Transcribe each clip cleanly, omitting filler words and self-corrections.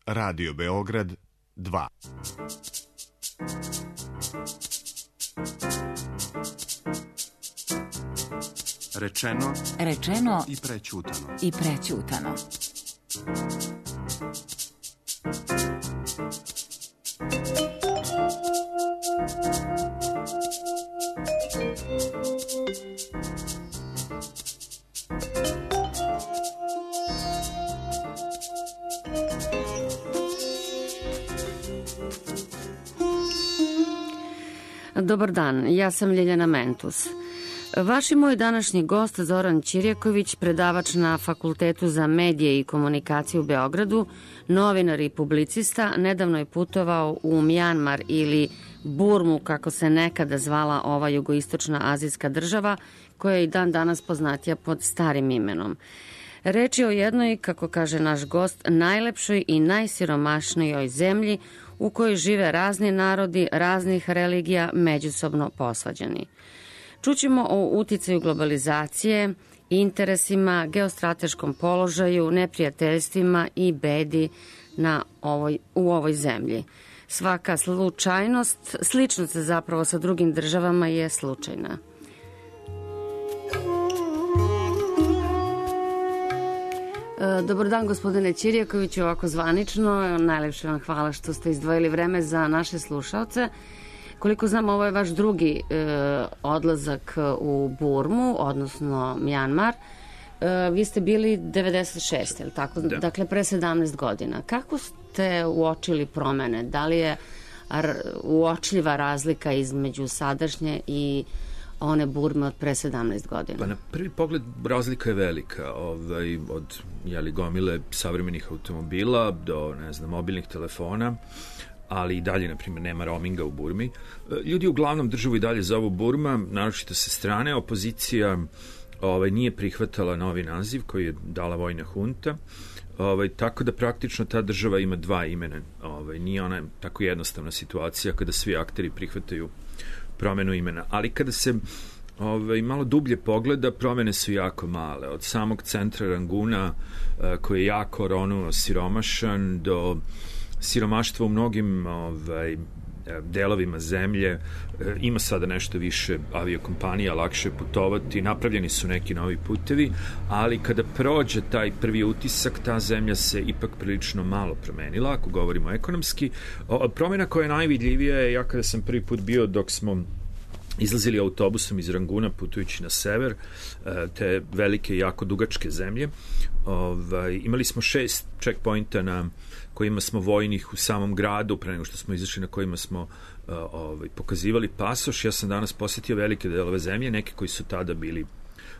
Radio Beograd 2. Rečeno i prećutano. Dobar dan, ja sam Ljeljana Mentus. Vaš i moj današnji gost Zoran Ćirjaković, predavač na Fakultetu za medije i komunikaciju u Beogradu, novinar i publicista, nedavno je putovao u Mjanmar ili Burmu, kako se nekada zvala ova jugoistočna azijska država, koja je i dan danas poznatija pod starim imenom. Reč je o jednoj, kako kaže naš gost, najlepšoj i najsiromašnijoj zemlji u kojoj žive razni narodi, raznih religija, međusobno posvađani. Čućemo o uticaju globalizacije, interesima, geostrateškom položaju, neprijateljstvima i bedi u ovoj zemlji. Svaka sličnost zapravo sa drugim državama je slučajna. Dobar dan, gospodine Ćirjakoviću, ovako zvanično. Najlepše vam hvala što ste izdvojili vreme za naše slušaoce. Koliko znam, ovo je vaš drugi odlazak u Burmu, odnosno Mjanmar. Vi ste bili 96, je li tako? Da. Dakle, pre 17 godina. Kako ste uočili promene? Da li je uočljiva razlika između sadašnje i one Burme od pre 17 godina? Pa na prvi pogled razlika je velika. Od gomile savremenih automobila do, mobilnih telefona, ali i dalje, na primjer, nema roaminga u Burmi. Ljudi uglavnom državu i dalje zovu Burma, naročito sa strane. Opozicija nije prihvatala novi naziv koji je dala vojna hunta, tako da praktično ta država ima dva imena. Nije ona tako jednostavna situacija kada svi akteri prihvataju promenu imena. Ali kada se malo dublje pogleda, promene su jako male. Od samog centra Ranguna, koji je jako siromašan, do siromaštva u mnogim delovima zemlje. Ima sada nešto više aviokompanija, lakše putovati, napravljeni su neki novi putevi, ali kada prođe taj prvi utisak, ta zemlja se ipak prilično malo promenila, ako govorimo ekonomski. Promjena koja je najvidljivija je, ja kada sam prvi put bio, dok smo izlazili autobusom iz Ranguna putujući na sever, te velike, jako dugačke zemlje. Imali smo 6 checkpointa na kojima smo vojnih u samom gradu, pre nego što smo izašli, na kojima smo pokazivali pasoš. Ja sam danas posetio velike delove zemlje, neke koji su tada bili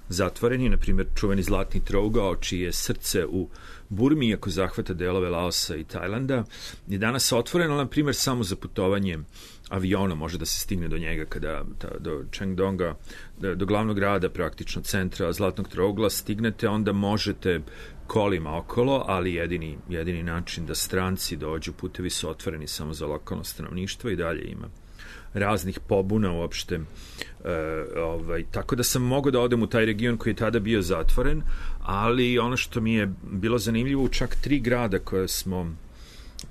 zatvoreni, na primjer čuveni Zlatni trougao, čije je srce u Burmi, iako zahvata delove Laosa i Tajlanda, je danas otvoreno, na primjer, samo za putovanje avionom može da se stigne do njega, do Chengdonga, do glavnog grada, praktično centra Zlatnog trougla stignete, onda možete kolima okolo, ali jedini način da stranci dođu, putevi su otvoreni samo za lokalno stanovništvo i dalje ima raznih pobuna uopšte. Tako da sam mogao da odem u taj region koji je tada bio zatvoren, ali ono što mi je bilo zanimljivo, u čak 3 grada koje smo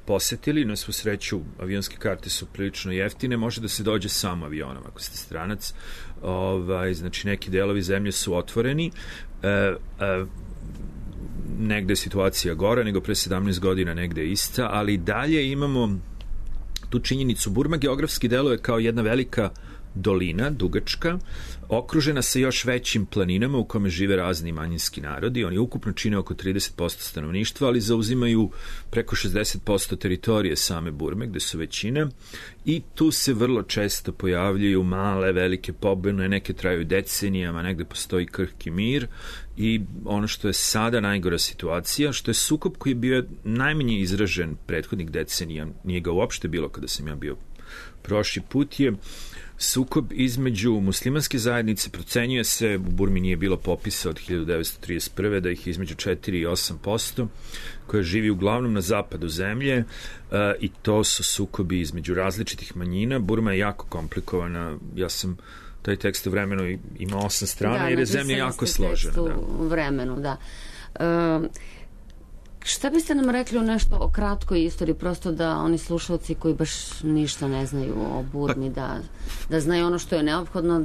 posetili, na svu sreću avionske karte su prilično jeftine, može da se dođe samo avionom ako ste stranac. Znači neki delovi zemlje su otvoreni, negde je situacija gora nego pre 17 godina, negde je ista, ali dalje imamo tu činjenicu. Burma geografski deluje kao jedna velika dolina, dugačka, okružena sa još većim planinama u kome žive razni manjinski narodi. Oni ukupno čine oko 30% stanovništva, ali zauzimaju preko 60% teritorije same Burme, gde su većina, i tu se vrlo često pojavljuju male, velike pobune, neke traju decenijama, negde postoji krhki mir. I ono što je sada najgora situacija, što je sukob koji je bio najmanje izražen prethodnih decenija, nije ga uopšte bilo kada sam ja bio prošli put, je sukob između muslimanske zajednice. Procenjuje se, u Burmi nije bilo popisa od 1931. da ih je između 4 i 8%, koja živi uglavnom na zapadu zemlje, i to su sukobi između različitih manjina. Burma je jako komplikovana. Ja sam taj tekst u vremenu ima 8 strana, jer je zemlja jako složena. U vremenu, da. Šta biste nam rekli o nešto o kratkoj istoriji, prosto da oni slušalci koji baš ništa ne znaju o Burmi, da znaju ono što je neophodno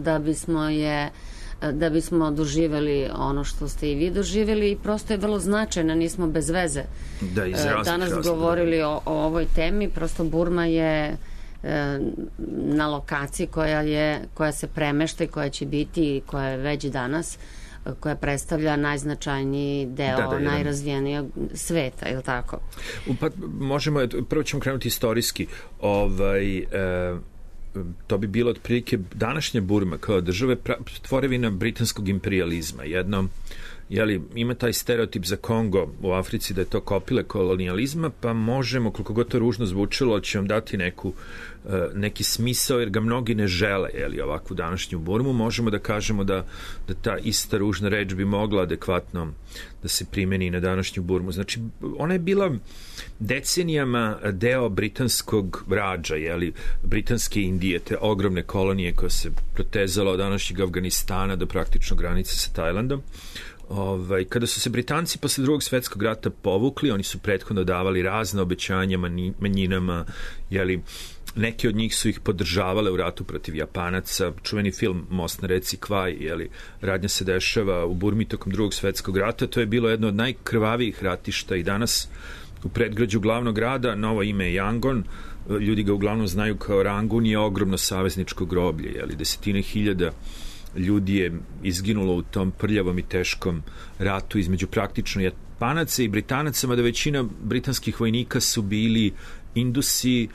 da bismo doživeli ono što ste i vi doživeli, i prosto je vrlo značajno, nismo bez veze danas govorili o ovoj temi. Prosto Burma je na lokaciji koja se premešta i koja će biti i koja je već danas, koja predstavlja najznačajniji deo najrazvijenijeg sveta, je li tako? Pa možemo, prvo ćemo krenuti istorijski. To bi bilo otprilike današnja Burma kao države tvorevina britanskog imperializma. Ima taj stereotip za Kongo u Africi da je to kopile kolonijalizma, pa možemo, koliko god to ružno zvučilo, će vam dati neki smisao, jer ga mnogi ne žele, ovakvu današnju Burmu. Možemo da kažemo da ta ista ružna reč bi mogla adekvatno da se primeni na današnju Burmu. Znači, ona je bila decenijama deo britanskog rađa, britanske Indije, te ogromne kolonije koja se protezala od današnjeg Afganistana do praktično granice sa Tajlandom. Kada su se Britanci posle Drugog svetskog rata povukli, oni su prethodno davali razne obećanja manjinama, neki od njih su ih podržavale u ratu protiv Japanaca. Čuveni film Most na reci Kvaj, radnja se dešava u Burmi tokom Drugog svetskog rata. To je bilo jedno od najkrvavijih ratišta i danas u predgrađu glavnog grada, novo ime je Yangon, ljudi ga uglavnom znaju kao Rangun, je ogromno savezničko groblje, desetine hiljada ljudi je izginulo u tom prljavom i teškom ratu između praktično Japanaca i Britanaca, mada većina britanskih vojnika su bili Indusi,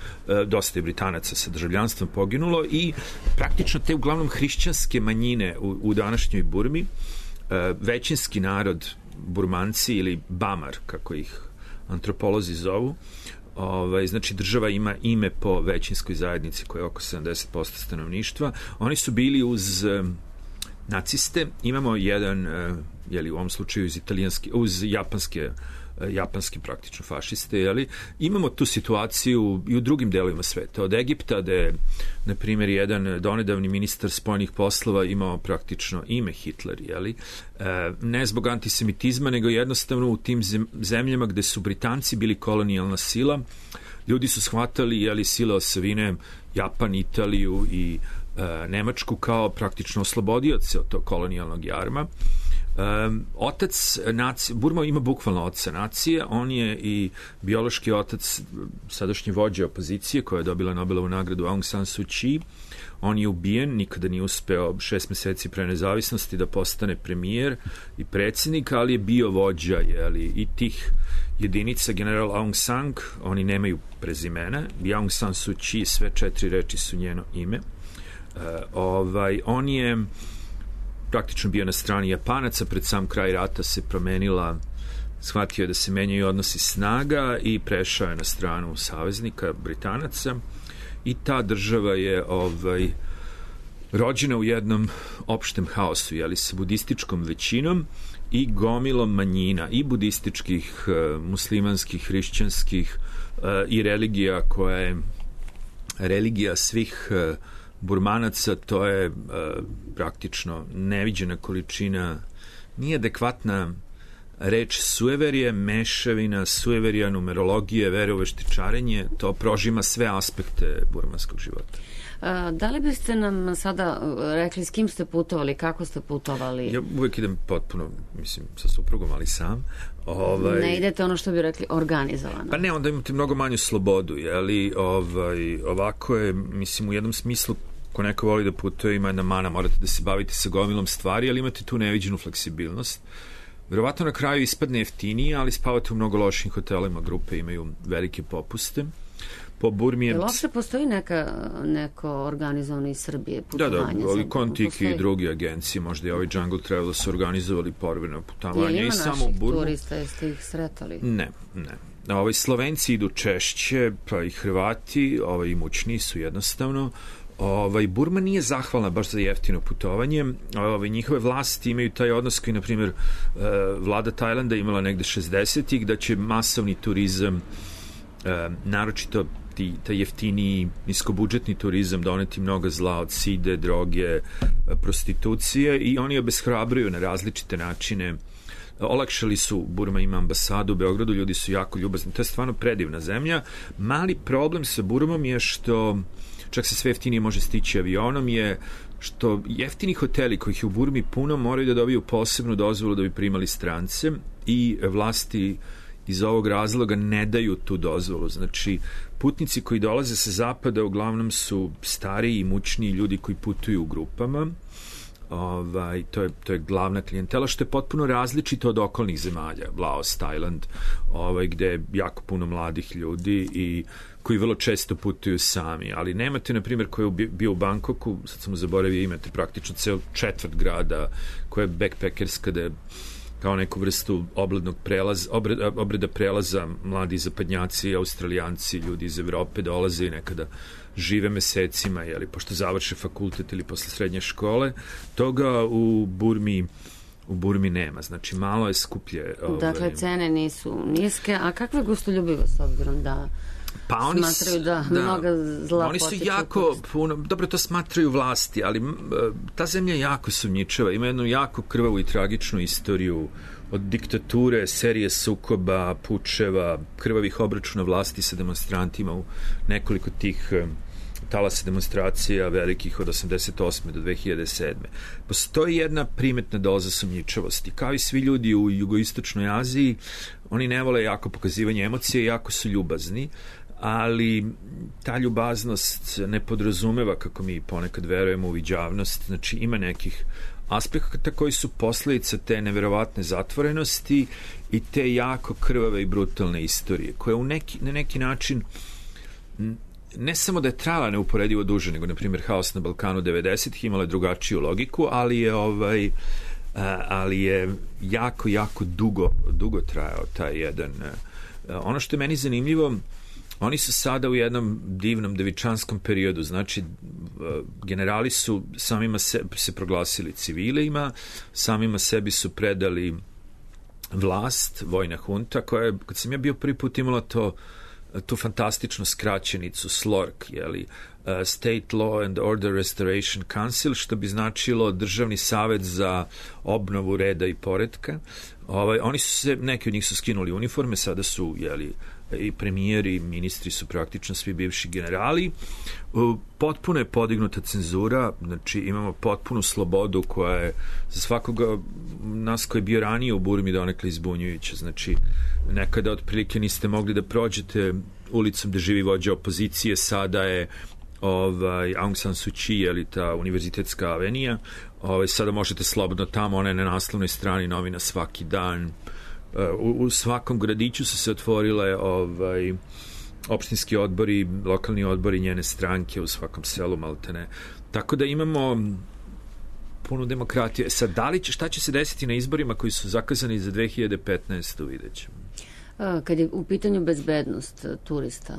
dosta je Britanaca sa državljanstvom poginulo, i praktično te uglavnom hrišćanske manjine u današnjoj Burmi, većinski narod Burmanci ili Bamar, kako ih antropolozi zovu, znači država ima ime po većinskoj zajednici koja je oko 70% stanovništva. Oni su bili uz naciste. Imamo jedan, u ovom slučaju uz japanske praktično fašiste, imamo tu situaciju i u drugim delovima sveta. Od Egipta, da je, na primjer, jedan donedavni ministar spoljnih poslova imao praktično ime Hitler, ne zbog antisemitizma, nego jednostavno u tim zemljama gde su Britanci bili kolonijalna sila, ljudi su shvatali sile osovine Japan, Italiju i Nemačku kao praktično oslobodioce od tog kolonijalnog jarma. Otac nacije, Burma ima bukvalno oca nacije, on je i biološki otac sadašnje vođe opozicije koja je dobila Nobelovu nagradu Aung San Suu Kyi. On je ubijen, nikada nije uspeo 6 meseci pre nezavisnosti da postane premijer i predsjednik, ali je bio vođa i tih jedinica. General Aung San, oni nemaju prezimena, i Aung San Suu Kyi, sve 4 reči su njeno ime. On je praktično bio na strani Japanaca, pred sam kraj rata se promenila, shvatio je da se menjaju odnosi snaga i prešao je na stranu saveznika Britanaca, i ta država je rođena u jednom opštem haosu, sa budističkom većinom i gomilom manjina, i budističkih, muslimanskih, hrišćanskih, i religija koja je religija svih Burmanaca. To je praktično neviđena količina, nije adekvatna reč sueverije, mešavina sueverija, numerologije, vere u veštičarenje, to prožima sve aspekte burmanskog života. Da li biste nam sada rekli s kim ste putovali, kako ste putovali? Ja uvek idem potpuno, sa suprugom, ali sam. Ne idete ono što bi rekli organizovano? Pa ne, onda imate mnogo manju slobodu, ovako je, u jednom smislu, ko neko voli da putuje, ima jedna mana, morate da se bavite sa gomilom stvari, ali imate tu neviđenu fleksibilnost. Verovatno na kraju ispadne jeftinije, ali spavate u mnogo lošim hotelima, grupe imaju velike popuste. Po Burmi je... Uopšte postoji neko organizovano iz Srbije putovanje? Da, ali Kontiki i drugi agencije, možda i ovi Jungle Travel su organizovali povremeno putovanje i samo u Burmu. Ima naših turista, jeste ih sretali? Ne. Slovenci idu češće, pa i Hrvati, imućniji su jednostavno. Burma nije zahvalna baš za jeftino putovanje. Njihove vlasti imaju taj odnos koji, na primjer, vlada Tajlanda imala negde 60-ih, da će masovni turizam, naročito taj jeftiniji niskobudžetni turizam, doneti mnogo zla od side, droge, prostitucije, i oni obeshrabruju na različite načine olakšali su, Burma ima ambasadu u Beogradu, ljudi su jako ljubazni, to je stvarno predivna zemlja. Mali problem sa Burmom je što čak se sve jeftinije može stići avionom, je što jeftini hoteli kojih je u Burmi puno moraju da dobiju posebnu dozvolu da bi primali strance i vlasti iz ovog razloga ne daju tu dozvolu. Znači, putnici koji dolaze sa zapada uglavnom su stariji i mučniji ljudi koji putuju u grupama. To je glavna klijentela, što je potpuno različito od okolnih zemalja, Laos, Tajland, gde je jako puno mladih ljudi i koji vrlo često putuju sami, ali nemate, na primjer, ko je bio u Bangkoku, sad sam mu zaboravio, imate praktično ceo četvrt grada koja je backpackerska, da je kao neku vrstu obreda prelaza, mladi zapadnjaci, Australijanci, ljudi iz Evrope dolaze i nekada žive mesecima, pošto završe fakultet ili posle srednje škole. Toga u Burmi nema, znači malo je skuplje. Dakle, cene nisu niske, a kakva je gostoljubivost, s obzirom da smatraju da mnoga zla oni su jako puno, dobro, to smatraju vlasti, ali ta zemlja je jako sumnjičava, ima jednu jako krvavu i tragičnu istoriju od diktature, serije sukoba, pučeva, krvavih obračuna vlasti sa demonstrantima u nekoliko tih talasa demonstracija velikih od 88. do 2007. Postoji jedna primetna doza sumnjičavosti. Kao i svi ljudi u jugoistočnoj Aziji, oni ne vole jako pokazivanje emocije, jako su ljubazni, ali ta ljubaznost ne podrazumeva, kako mi ponekad verujemo, uviđavnost. Znači, ima nekih aspekata koji su posledica te neverovatne zatvorenosti i te jako krvave i brutalne istorije, koja na neki način ne samo da je trajala neuporedivo duže, nego, na primjer, haos na Balkanu 90-ih imala drugačiju logiku, ali je jako, jako dugo trajao taj jedan. Ono što je meni zanimljivo, oni su sada u jednom divnom devičanskom periodu, znači generali su samima se proglasili civilima, samima sebi su predali vlast, vojna hunta, koja je, kad sam ja bio prvi put, imala tu fantastičnu skraćenicu SLORC, State Law and Order Restoration Council, što bi značilo Državni savet za obnovu reda i poretka. Oni su se, neki od njih su skinuli uniforme, sada su, i premijeri i ministri su praktično svi bivši generali. Potpuno je podignuta cenzura, znači imamo potpunu slobodu koja je za svakoga nas koji je bio ranije u Burmi donekle izbunjujuća. Znači, nekada otprilike niste mogli da prođete ulicom gde živi vođa opozicije, sada je Aung San Suu Kyi, ta univerzitetska avenija, sada možete slobodno tamo, ona je na naslovnoj strani novina svaki dan. U svakom gradiću su se otvorile opštinski odbori, lokalni odbori njene stranke, u svakom selu maltene. Tako da imamo punu demokratiju. Sad, šta će se desiti na izborima koji su zakazani za 2015. vidjet ćemo. Kad je u pitanju bezbednost turista?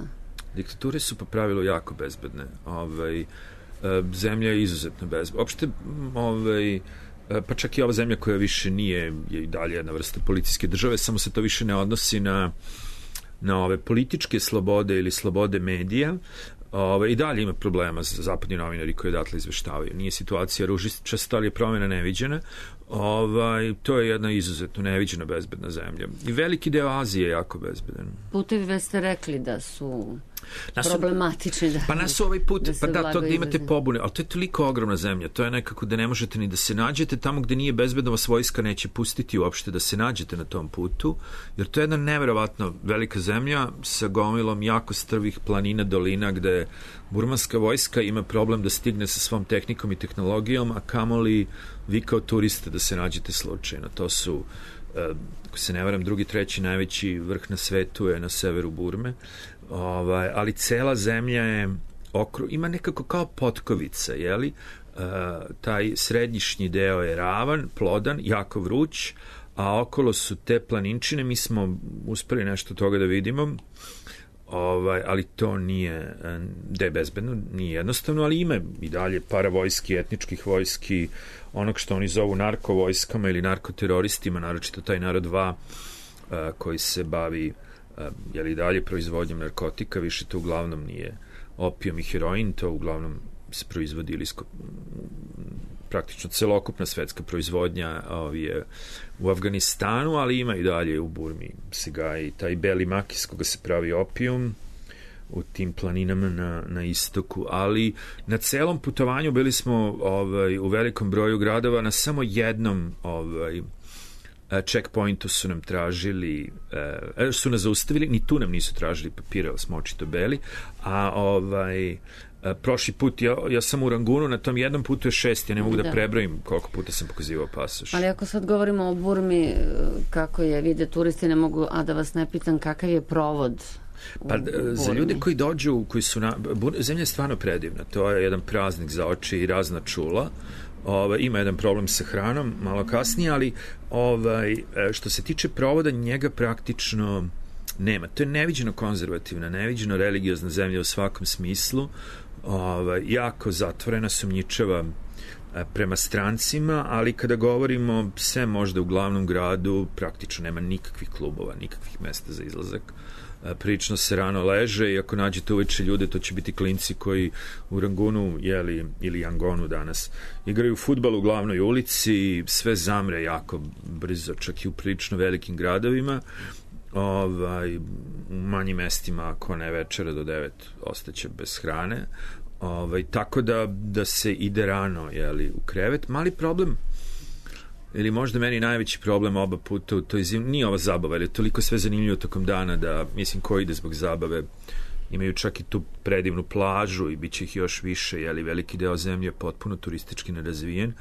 Diktature su po pravilu jako bezbedne. Zemlja je izuzetno bezbedna. Opšte, pa čak i ova zemlja koja više nije, je i dalje jedna vrsta policijske države, samo se to više ne odnosi na ove političke slobode ili slobode medija. I dalje ima problema za zapadni novinari koji odatle izveštavaju. Nije situacija ružičasta, ali je promjena neviđena. To je jedna izuzetno neviđena bezbedna zemlja. I veliki deo Azije je jako bezbedan. Putevi već ste rekli da su problematični. Pa nas ovaj put, pa da, to gde imate pobune, ali to je toliko ogromna zemlja, to je nekako da ne možete ni da se nađete, tamo gde nije bezbedno vas vojska neće pustiti uopšte da se nađete na tom putu, jer to je jedna neverovatno velika zemlja sa gomilom jako strvih planina, dolina, gde burmanska vojska ima problem da stigne sa svom tehnikom i tehnologijom, a kamoli vi kao turiste da se nađete slučajno. To su, ako se ne varam, drugi, treći najveći vrh na svetu je na severu Burme, ali cela zemlja je ima nekako kao potkovica, taj središnji deo je ravan, plodan, jako vruć, a okolo su te planinčine. Mi smo uspeli nešto toga da vidimo, ali to nije da je bezbedno, nije jednostavno, ali ima i dalje paravojski, etničkih vojski, onog što oni zovu narkovojskama ili narkoteroristima, naročito taj narod Va koji se bavi i dalje proizvodnjom narkotika. Više to uglavnom nije opijom i heroin, to uglavnom se proizvodi ili praktično celokupna svetska proizvodnja je u Afganistanu, ali ima i dalje u Burmi se gaji taj beli mak iz koga se pravi opijum u tim planinama na istoku, ali na celom putovanju bili smo u velikom broju gradova, na samo jednom checkpointu su nam tražili, su nas zaustavili, ni tu nam nisu tražili papire, ali smo očito beli, a prošli put, ja sam u Rangunu, na tom jednom putu je 6, ja ne mogu da prebrojim koliko puta sam pokazivao pasoš. Ali ako sad govorimo o Burmi, kako je vide turisti, ne mogu, a da vas ne pitam kakav je provod. Pa za ljude koji dođu, koji su zemlja je stvarno predivna, to je jedan praznik za oči i razna čula. Ima jedan problem sa hranom malo kasnije, ali što se tiče provoda, njega praktično nema. To je neviđeno konzervativna, neviđeno religiozna zemlja u svakom smislu, jako zatvorena, sumnjičava prema strancima, ali kada govorimo sve možda u glavnom gradu, praktično nema nikakvih klubova, nikakvih mesta za izlazak. Prilično se rano leže i ako nađete uveče ljude, to će biti klinci koji u Rangunu ili Yangonu danas igraju fudbal u glavnoj ulici, sve zamre jako brzo, čak i u prilično velikim gradovima. U manjim mestima, ako ne večera do 9, ostaće bez hrane. Tako da se ide rano u krevet. Mali problem, ili možda meni najveći problem oba puta u toj zimi, nije ova zabava, jer je toliko sve zanimljivo tokom dana da, mislim, ko ide zbog zabave, imaju čak i tu predivnu plažu i bit će ih još više, veliki deo zemlje je potpuno turistički nerazvijen,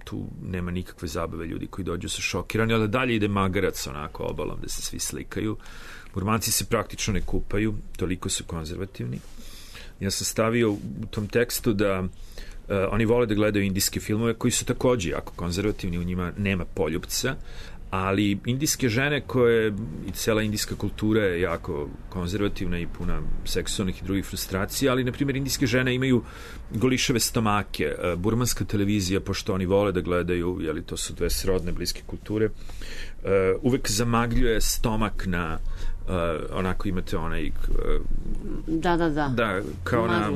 tu nema nikakve zabave, ljudi koji dođu su šokirani, ali dalje ide magarac onako obalom da se svi slikaju. Burmanci se praktično ne kupaju, toliko su konzervativni. Ja sam stavio u tom tekstu da oni vole da gledaju indijske filmove koji su takođe jako konzervativni, u njima nema poljupca, ali indijske žene i cela indijska kultura je jako konzervativna i puna seksualnih i drugih frustracija, ali na primjer indijske žene imaju golišave stomake. Burmanska televizija, pošto oni vole da gledaju, to su dve srodne bliske kulture, uvek zamagljuje stomak na onako imate onaj da kao na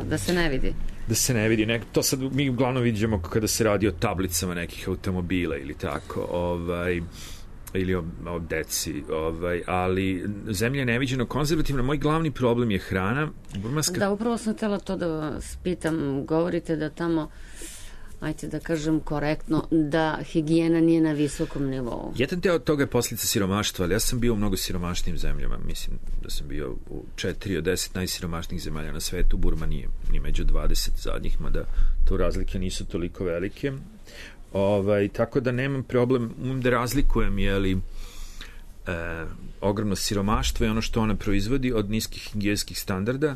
da se ne vidi. Da se ne vidi. To sad mi uglavnom vidimo kada se radi o tablicama nekih automobila ili tako, ili o deci, ali zemlja je neviđeno konzervativna. Moj glavni problem je hrana. Burmanska... Da, upravo sam htjela to da vas pitam. Govorite da tamo, ajte da kažem korektno, da higijena nije na visokom nivou. Jedan deo od toga je posljedica siromaštva, ali ja sam bio u mnogo siromašnijim zemljama. Mislim da sam bio u 4 od 10 najsiromašnijih zemalja na svetu. Burma nije ni među 20 zadnjih, mada to razlike nisu toliko velike. Tako da nemam problem da razlikujem ogromno siromaštvo i ono što ona proizvodi od niskih higijenskih standarda.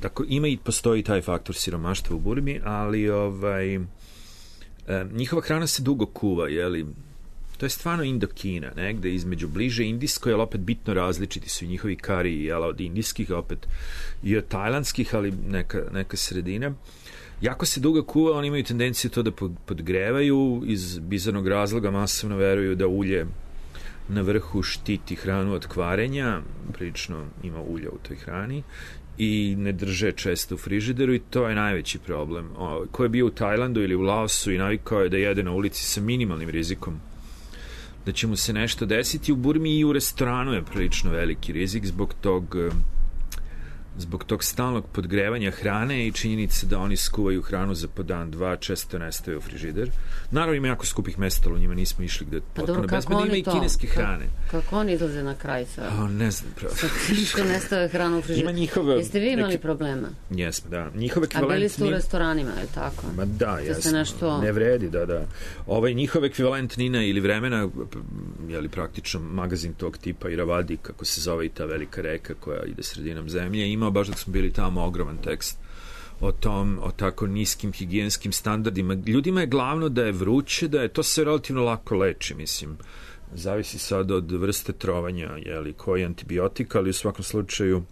Dakle, postoji taj faktor siromaštva u Burmi, ali njihova hrana se dugo kuva, to je stvarno Indokina, negde između bliže indijskoj, ali opet bitno različiti su i njihovi kari, od indijskih, opet i od tajlandskih, ali neka sredina. Jako se dugo kuva, oni imaju tendenciju to da podgrevaju, iz bizarnog razloga masovno veruju da ulje na vrhu štiti hranu od kvarenja, prilično ima ulja u toj hrani, i ne drže često u frižideru, i to je najveći problem. Ko je bio u Tajlandu ili u Laosu i navikao je da jede na ulici sa minimalnim rizikom da će mu se nešto desiti, u Burmi i u restoranu je prilično veliki rizik zbog tog stalnog podgrevanja hrane i činjenice da oni skuvaju hranu za po dan, dva, često nestaje u frižider. Naravno ima jako skupih mesta, ali u njima nismo išli gde potpuno bezbedno, ima i kineske hrane. Kako oni izlaze na kraj sa... Ne znam, pravo. Što nestaje hranu u frižider. Jeste vi imali problema? Jesmo, da. Njihov ekvivalent... A bili ste u restoranima, je tako? Ma da, jesmo. Ne vredi, da. Njihov ekvivalent Nina ili Vremena, praktično magazin tog tipa Iravadi, kako se zove i ta velika reka koja ide sredinom zemlje, imao baš dok smo bili tamo ogroman tekst o tako niskim higijenskim standardima. Ljudima je glavno da je vruće, da je to se relativno lako leči, mislim. Zavisi sad od vrste trovanja, koji antibiotik, ali u svakom slučaju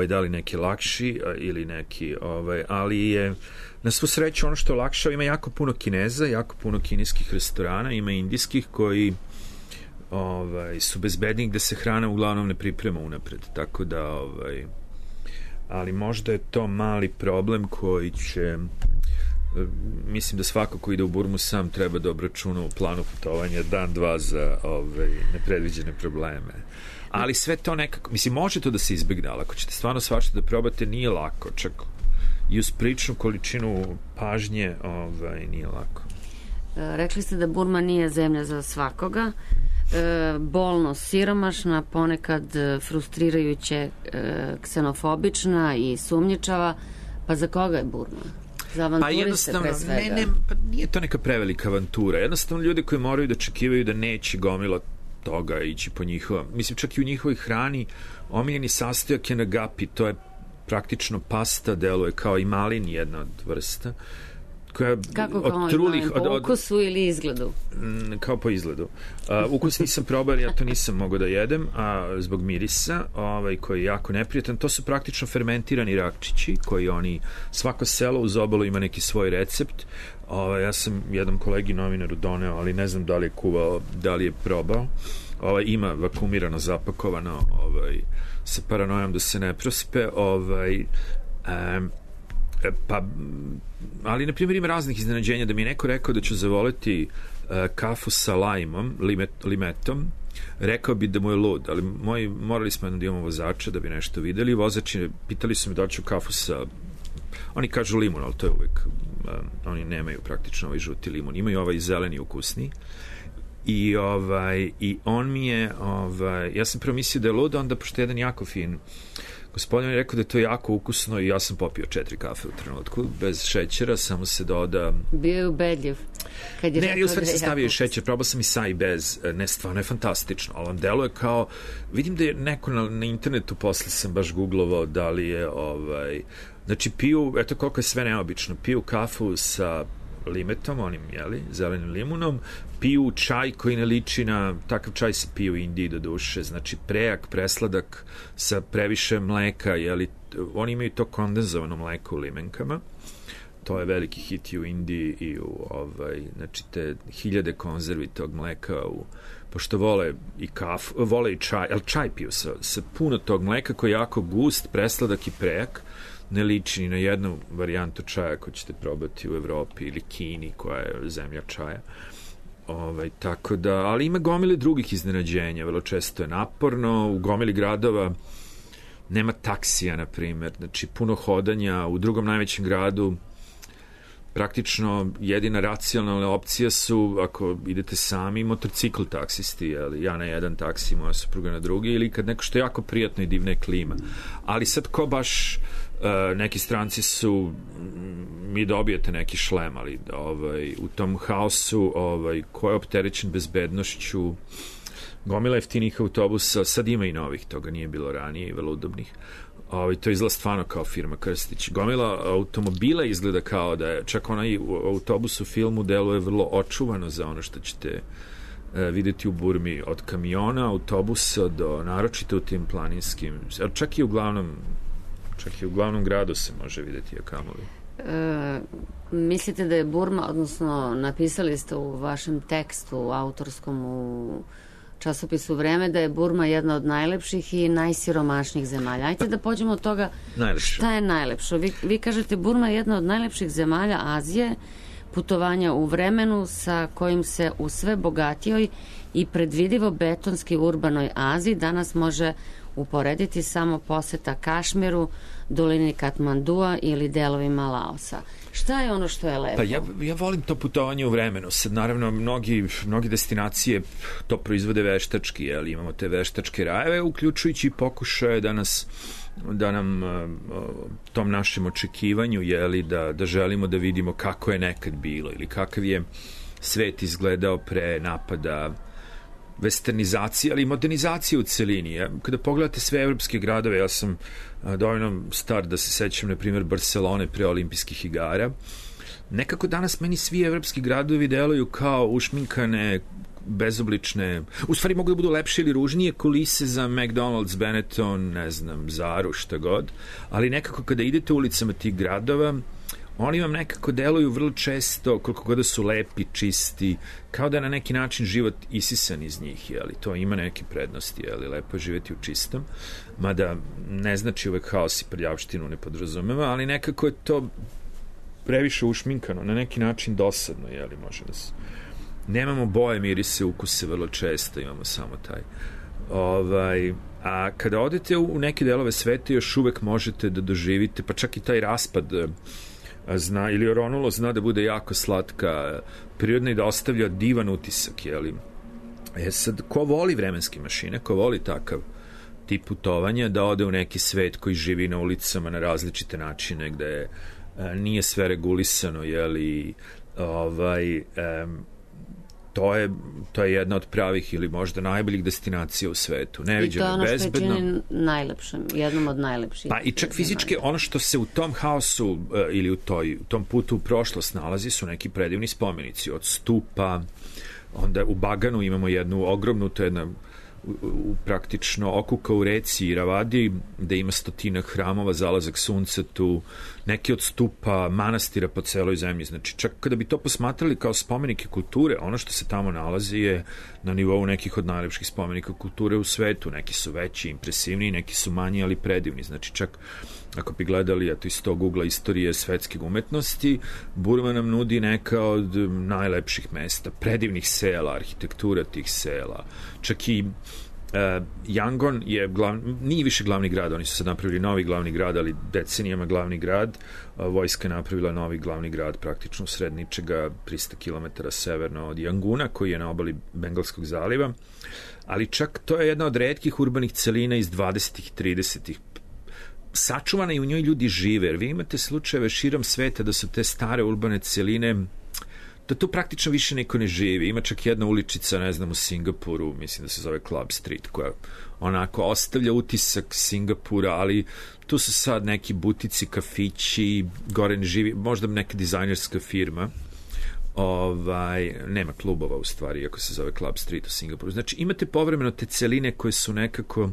da li neki lakši ili neki, ali je na svu sreću ono što olakšava, ima jako puno Kineza, jako puno kineskih restorana, ima indijskih koji su bezbedni gde se hrana uglavnom ne priprema unapred, tako da ali možda je to mali problem koji će mislim da svako ko ide u Burmu sam treba da obračuna u planu putovanja dan, dva za nepredviđene probleme. Ali sve to nekako, mislim, može to da se izbegne, ali ako ćete stvarno svašta da probate, nije lako, čak i uz pričnu količinu pažnje nije lako. Rekli ste da Burma nije zemlja za svakoga, bolno siromašna, ponekad frustrirajuće, ksenofobična i sumnjičava, pa za koga je Burma? Za avanturiste pre svega? Pa nije to neka prevelika avantura, jednostavno ljudi koji moraju da očekivaju da neće gomila toga ići po njihovom, mislim čak i u njihovoj hrani omiljeni sastojak je nagapi, to je praktično pasta, deluje kao i malin, jedna od vrsta koja kako od trulih po ukusu ili izgledu? Kao po izgledu. Ukus nisam probao, ja to nisam mogao da jedem, zbog mirisa, koji je jako neprijatan. To su praktično fermentirani rakčići koji svako selo uz obalu ima neki svoj recept. Ja sam jednom kolegi novinaru doneo, ali ne znam da li je kuvao, da li je probao. Ima vakumirano, zapakovano, sa paranojom da se ne prospe, ali na primjer ima raznih iznenađenja, da mi je neko rekao da ću zavoleti kafu sa lajmom, limetom, rekao bi da mu je lud, ali morali smo da imamo vozača da bi nešto videli, vozači pitali su me da ću kafu sa, oni kažu limun, ali to je uvek, oni nemaju praktično ovaj žuti limun, imaju ovaj zeleni ukusni. I on mi je, ja sam prvo mislio da je lud, onda pošto je jedan jako fin gospodin je rekao da je to jako ukusno i ja sam popio 4 kafe u trenutku, bez šećera, samo se doda... Bio je ubedljiv. Ne, u stvari sam stavio šećer, probao sam i sa i bez, ne, stvarno je fantastično, ali on deluje kao, vidim da je neko na internetu, posle sam baš googlovao da li je, znači piju, eto koliko je sve neobično, piju kafu sa limetom, onim, zelenim limunom, piju čaj koji ne liči na, takav čaj se piju u Indiji do duše, znači prejak, presladak sa previše mleka, oni imaju to kondenzovano mleko u limenkama, to je veliki hit i u Indiji i u, znači te hiljade konzervi tog mleka, pošto vole i kafu, vole i čaj, ali čaj piju sa puno tog mleka koji je jako gust, presladak i prejak, ne liči ni na jednu varijantu čaja koju ćete probati u Evropi ili Kini, koja je zemlja čaja. Tako da, ali ima gomile drugih iznenađenja, vrlo često je naporno, u gomili gradova nema taksija, na primjer, znači puno hodanja, u drugom najvećem gradu praktično jedina racionalna opcija su, ako idete sami, motorcikl taksisti, ja na jedan taksi, moja supruga na drugi, ili kad neko što je jako prijatno i divna je klima. Ali sad ko baš, neki stranci su, mi dobijete neki šlem, ali u tom haosu ko je opterećen bezbednošću, gomila jeftinih autobusa, sad ima i novih, toga nije bilo ranije i vrlo udobnih. To izgleda stvarno kao firma Krstić. Gomila automobila izgleda kao da je, čak onaj autobus u filmu deluje vrlo očuvano za ono što ćete videti u Burmi, od kamiona, autobusa do, naročito u tim planinskim, čak i u glavnom gradu se može videti kamoli. Mislite da je Burma, odnosno napisali ste u vašem tekstu autorskom u časopisu Vreme, da je Burma jedna od najlepših i najsiromašnijih zemalja. Ajde da pođemo od toga šta je najlepšo. Vi kažete Burma je jedna od najlepših zemalja Azije, putovanja u vremenu sa kojim se u sve bogatijoj i predvidivo betonski urbanoj Aziji danas može uporediti samo poseta Kašmiru, dolini Katmandua ili delovima Laosa. Šta je ono što je lepo? Pa ja volim to putovanje u vremenu. Sad, naravno, mnogi destinacije to proizvode veštački, imamo te veštačke rajeve, uključujući pokušaje da nam tom našem očekivanju, da želimo da vidimo kako je nekad bilo ili kakav je svet izgledao pre napada westernizacije, ali i modernizacije u celini. Kada pogledate sve evropske gradove, ja sam dovoljno star da se sećam, na primjer, Barcelone pre olimpijskih igara. Nekako danas meni svi evropski gradovi deluju kao ušminkane, bezoblične, u stvari mogu da budu lepše ili ružnije kulise za McDonald's, Benetton, ne znam, Zaru, šta god, ali nekako kada idete ulicama tih gradova, oni vam nekako deluju vrlo često, koliko god da su lepi, čisti, kao da je na neki način život isisan iz njih, to ima neke prednosti, lepo je živeti u čistom, mada ne znači uvek haos i prljavštinu ne podrazumeva, ali nekako je to previše ušminkano, na neki način dosadno, jeli, može da se... Nemamo boje, mirise, ukuse vrlo često, imamo samo taj. A kada odete u neke delove sveta, još uvek možete da doživite, pa čak i taj raspad ili oronulo zna da bude jako slatka, prirodna i da ostavlja divan utisak, jeli. Sad, ko voli vremenske mašine, ko voli takav tip putovanja, da ode u neki svet koji živi na ulicama na različite načine, gde nije sve regulisano, jeli, to je jedna od pravih ili možda najboljih destinacija u svetu. Neviđeno, bezbedno. I to je ono što je čini najlepšim, jednom od najlepših. Pa i čak fizički ono što se u tom haosu ili u tom putu u prošlost nalazi su neki predivni spomenici. Od stupa, onda u Baganu imamo jednu ogromnu, to je jedna praktično okuka u reci Iravadi, gde ima 100 hramova, zalazak sunca tu, neki od stupa manastira po celoj zemlji. Znači, čak kada bi to posmatrali kao spomenike kulture, ono što se tamo nalazi je na nivou nekih od najlepših spomenika kulture u svetu. Neki su veći, impresivni, neki su manji, ali predivni. Znači, čak ako bi gledali, eto iz tog ugla istorije svetske umetnosti, Burma nam nudi neka od najlepših mesta, predivnih sela, arhitektura tih sela. Čak i Yangon je nije više glavni grad, oni su sad napravili novi glavni grad, ali decenijama glavni grad. Vojska je napravila novi glavni grad praktično sred ničega 300 km severno od Yanguna, koji je na obali Bengalskog zaliva. Ali čak to je jedna od retkih urbanih celina iz 20. i 30. Sačuvana i u njoj ljudi žive, jer vi imate slučajeve širom sveta da su te stare urbane celine, da tu praktično više niko ne živi. Ima čak jedna uličica, ne znam, u Singapuru, mislim da se zove Club Street, koja onako ostavlja utisak Singapura, ali tu su sad neki butici, kafići, gore ne živi, možda neka dizajnerska firma. Nema klubova u stvari, iako se zove Club Street u Singapuru. Znači imate povremeno te celine koje su nekako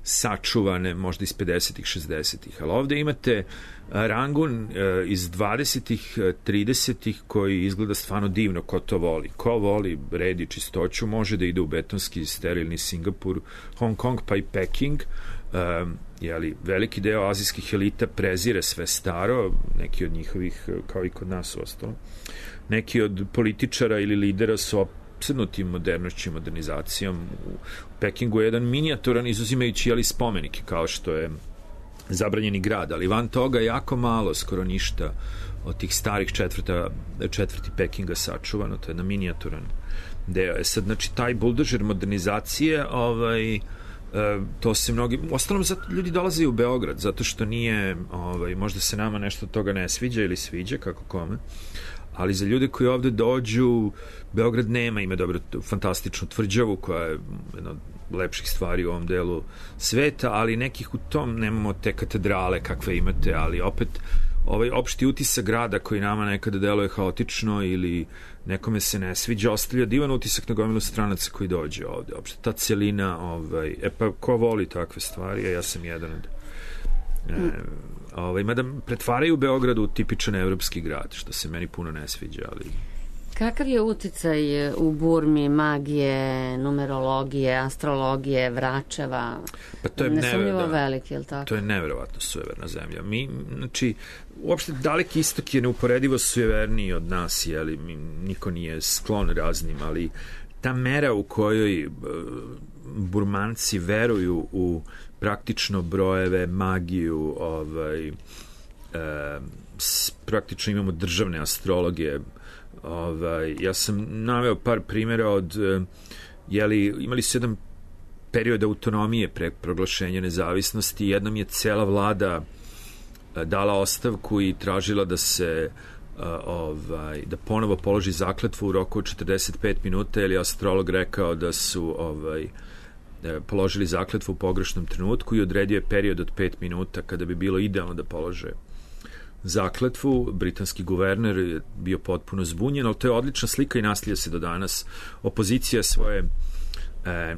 sačuvane, možda iz 50-ih, 60-ih, ali ovde imate Rangun iz 20-ih, 30-ih koji izgleda stvarno divno, ko to voli. Ko voli red i čistoću može da ide u betonski, sterilni Singapur, Hong Kong pa i Peking. Veliki deo azijskih elita prezire sve staro, neki od njihovih, kao i kod nas ostalo. Neki od političara ili lidera su opsednutim modernošću i modernizacijom. U Pekingu je jedan minijaturan, izuzimajući spomenike, kao što je Zabranjeni grad, ali van toga jako malo, skoro ništa od tih starih četvrti Pekinga sačuvano, to je jedna minijaturan deo. Sad, znači, taj buldožer modernizacije, to se mnogi, ostalom ljudi dolaze u Beograd, zato što nije, možda se nama nešto od toga ne sviđa ili sviđa, kako kome, ali za ljude koji ovde dođu, Beograd ima dobro, fantastičnu tvrđavu koja je jedna od lepših stvari u ovom delu sveta, ali nekih u tom nemamo te katedrale kakve imate, ali opet ovaj opšti utisak grada koji nama nekada deluje haotično ili nekome se ne sviđa, ostavlja divan utisak na gomilu stranaca koji dođe ovde. Opšte ta celina, pa ko voli takve stvari, a ja sam jedan od mada pretvaraju Beograd u tipičan evropski grad, što se meni puno ne sviđa, ali... Kakav je uticaj u Burmi magije, numerologije, astrologije, vračeva? Pa to je nesumnjivo veliki, je li tako? To je neverovatno sujeverna zemlja. Znači, uopšte Daleki istok je neuporedivo sujeverniji od nas, jeli, niko nije sklon raznim, ali ta mera u kojoj Burmanci veruju u praktično brojeve, magiju, praktično imamo državne astrologije. Ja sam naveo par primjera od imali su jedan period autonomije pre proglašenja nezavisnosti, jednom je cela vlada dala ostavku i tražila da se da ponovo položi zakletvu u roku od 45 minuta, jer je astrolog rekao da su položili zakletvu u pogrešnom trenutku i odredio je period od 5 minuta kada bi bilo idealno da polože zakletvu. Britanski guverner je bio potpuno zbunjen, ali to je odlična slika i naslija se do danas. Opozicija svoje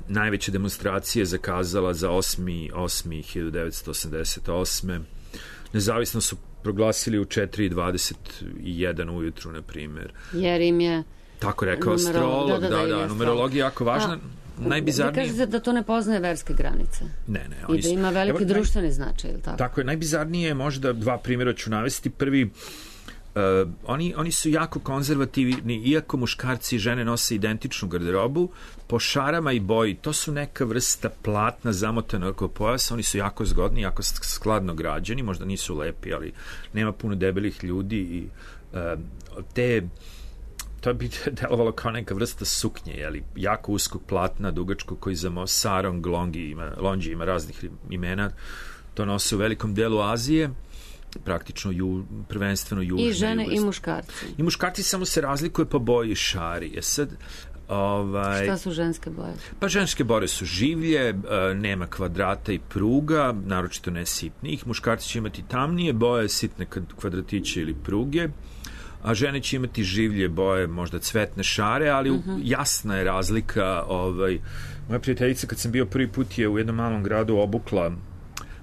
najveće demonstracije zakazala za 8.1988. Nezavisno su proglasili u 4:21 ujutru, na primjer. Jer im je tako rekao astrolog, numerologija jako važna. Najbizarnije... Vi kažete da to ne poznaje verske granice. Ne. I da ima veliki društveni značaj, ili tako? Tako je, najbizarnije je možda dva primjera ću navesti. Prvi, oni su jako konzervativni, iako muškarci i žene nose identičnu garderobu, po šarama i boji, to su neka vrsta platna zamotana oko pojasa, oni su jako zgodni, jako skladno građeni, možda nisu lepi, ali nema puno debelih ljudi i to bi delovalo kao neka vrsta suknje, ali jako uskog platna, dugačko, koji za sarong, lonđi ima raznih imena, to nose u velikom delu Azije, praktično prvenstveno južne. I žene i muškarci. I muškarci samo se razlikuje po boji šari. Sad, šta su ženske boje? Pa ženske boje su življe, nema kvadrata i pruga, naročito ne sitnih. Muškarci će imati tamnije boje, sitne kvadratiće ili pruge, a žene će imati življe boje, možda cvetne šare, ali jasna je razlika. Moja prijateljica, kad sam bio prvi put, je u jednom malom gradu obukla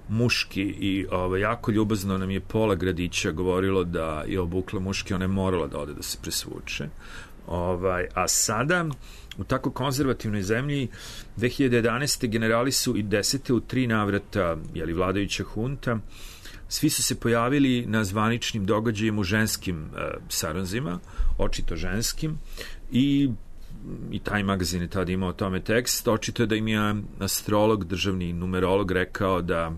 muški i jako ljubazno nam je pola gradića govorilo da je obukla muški, ona je morala da ode da se presvuče. A sada, u tako konzervativnoj zemlji, 2011. generali su i 10. u 3 navrata, vladajuća hunta, svi su se pojavili na zvaničnim događajima u ženskim saranzima, očito ženskim, i taj magazin je tada imao o tome tekst. Očito je da im je astrolog, državni numerolog rekao da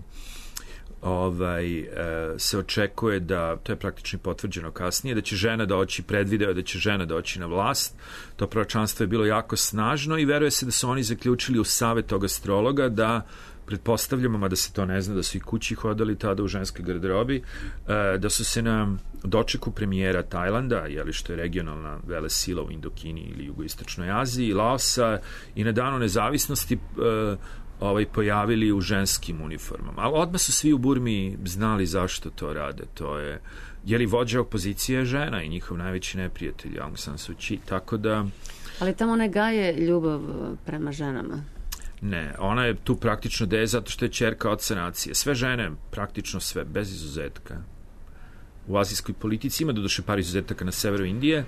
se očekuje da, to je praktično potvrđeno kasnije, da će žena doći, predvideo da će žena doći na vlast. To proročanstvo je bilo jako snažno i veruje se da su oni zaključili u savet tog astrologa da, pretpostavljamo, mada se to ne zna, da su i kući hodali tada u ženskoj garderobi, da su se na dočeku premijera Tajlanda, što je regionalna velesila u Indokini ili jugoistočnoj Aziji, Laosa, i na danu nezavisnosti pojavili u ženskim uniformama. Ali odmah su svi u Burmi znali zašto to rade. To je, vođa opozicije žena i njihov najveći neprijatelj Aung San Suu Kyi, tako da... Ali tamo ne gaje ljubav prema ženama. Ne, ona je tu praktično zato što je ćerka oca nacije. Sve žene, praktično sve, bez izuzetka. U azijskoj politici ima doduše par izuzetaka na severu Indije,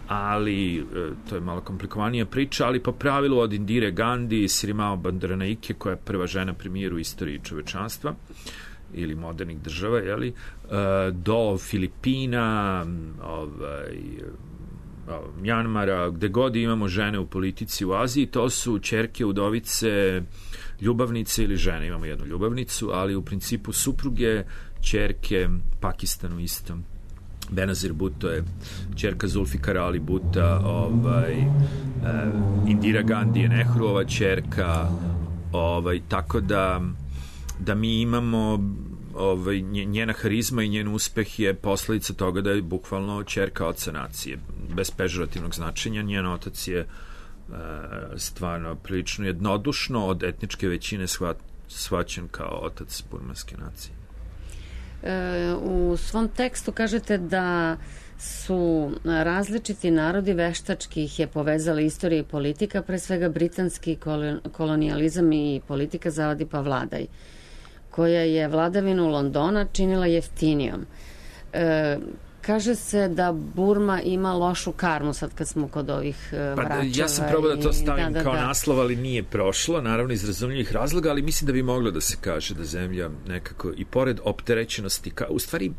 ali to je malo komplikovanija priča, ali po pravilu od Indire Gandhi, Sirimao Bandaranaike, koja je prva žena premijer u istoriji čovečanstva ili modernih država, do Filipina, Mjanmara, gde god imamo žene u politici u Aziji, to su ćerke, udovice, ljubavnice ili žene. Imamo jednu ljubavnicu, ali u principu supruge, ćerke, Pakistanu isto. Benazir Bhutto je ćerka Zulfikar Ali Bhutta, Indira Gandhi je Nehruova ćerka, tako da mi imamo njena harizma i njen uspeh je posledica toga da je bukvalno ćerka oca nacije. Bez pežorativnog značenja, njen otac je stvarno prilično jednodušno od etničke većine shvaćen kao otac burmanske nacije. U svom tekstu kažete da su različiti narodi, veštački ih je povezala istorija i politika, pre svega britanski kolonijalizam i politika zavadi pa vladaj, koja je vladavinu Londona činila jeftinijom. Kaže se da Burma ima lošu karmu, sad kad smo kod ovih vraćeva. Ja sam probao da to stavim kao naslov, ali nije prošlo, naravno iz razumljivih razloga, ali mislim da bi moglo da se kaže da zemlja nekako, i pored opterećenosti, u stvari,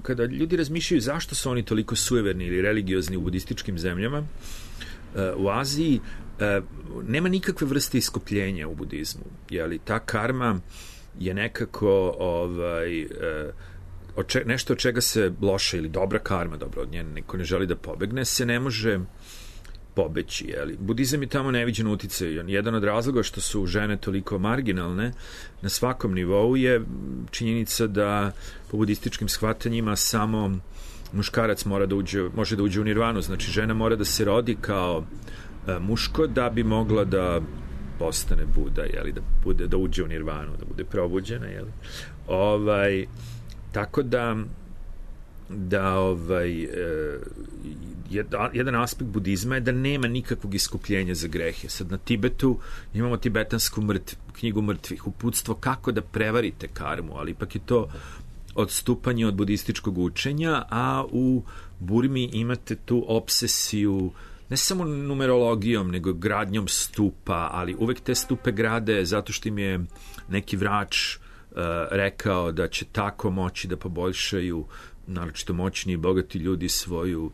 kada ljudi razmišljaju zašto su oni toliko sujeverni ili religiozni u budističkim zemljama, u Aziji, nema nikakve vrste iskupljenja u budizmu. Ta karma je nekako nešto od čega se loša ili dobra karma, dobro, od nje neko ne želi da pobegne, se ne može pobeći. Budizam je tamo neviđen uticaj. Jedan od razloga što su žene toliko marginalne na svakom nivou je činjenica da po budističkim shvatanjima samo muškarac može da uđe u nirvanu. Znači, žena mora da se rodi kao muško da bi mogla da postane Buda, da uđe u nirvanu, da bude probuđena, tako da jedan aspekt budizma je da nema nikakvog iskupljenja za grehe. Sad na Tibetu imamo tibetansku knjigu mrtvih, uputstvo kako da prevarite karmu, ali ipak je to odstupanje od budističkog učenja, a u Burmi imate tu obsesiju ne samo numerologijom, nego gradnjom stupa, ali uvek te stupe grade zato što im je neki vrač rekao da će tako moći da poboljšaju naročito moćni i bogati ljudi, svoju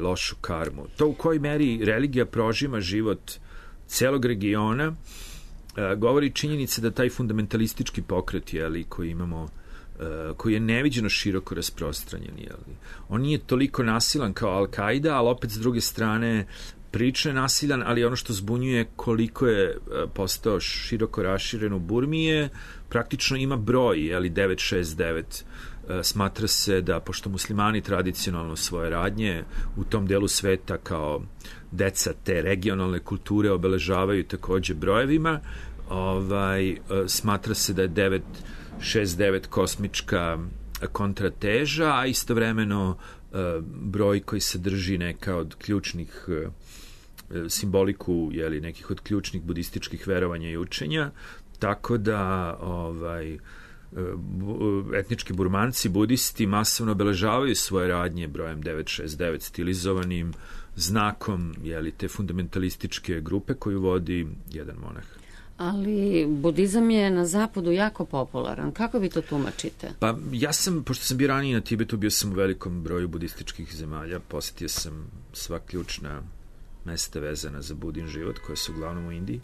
lošu karmu. To u kojoj meri religija prožima život celog regiona govori činjenica da taj fundamentalistički pokret, koji imamo, koji je neviđeno široko rasprostranjen. On nije toliko nasilan kao Al-Qaida, ali opet s druge strane prilično je nasilan, ali ono što zbunjuje koliko je postao široko raširen u Burmi je praktično ima broj, 969. Smatra se da, pošto muslimani tradicionalno svoje radnje u tom delu sveta kao deca te regionalne kulture obeležavaju takođe brojevima, smatra se da je 969 kosmička kontrateža, a istovremeno broj koji sadrži neka od ključnih simboliku, nekih od ključnih budističkih verovanja i učenja, tako da etnički Burmanci, budisti masovno obeležavaju svoje radnje brojem 969 stilizovanim znakom te fundamentalističke grupe koju vodi jedan monah. Ali budizam je na zapadu jako popularan. Kako vi to tumačite? Pa ja sam, pošto sam bio ranije na Tibetu, bio sam u velikom broju budističkih zemalja, posjetio sam sva ključna mesta vezana za budin život, koje su uglavnom u Indiji.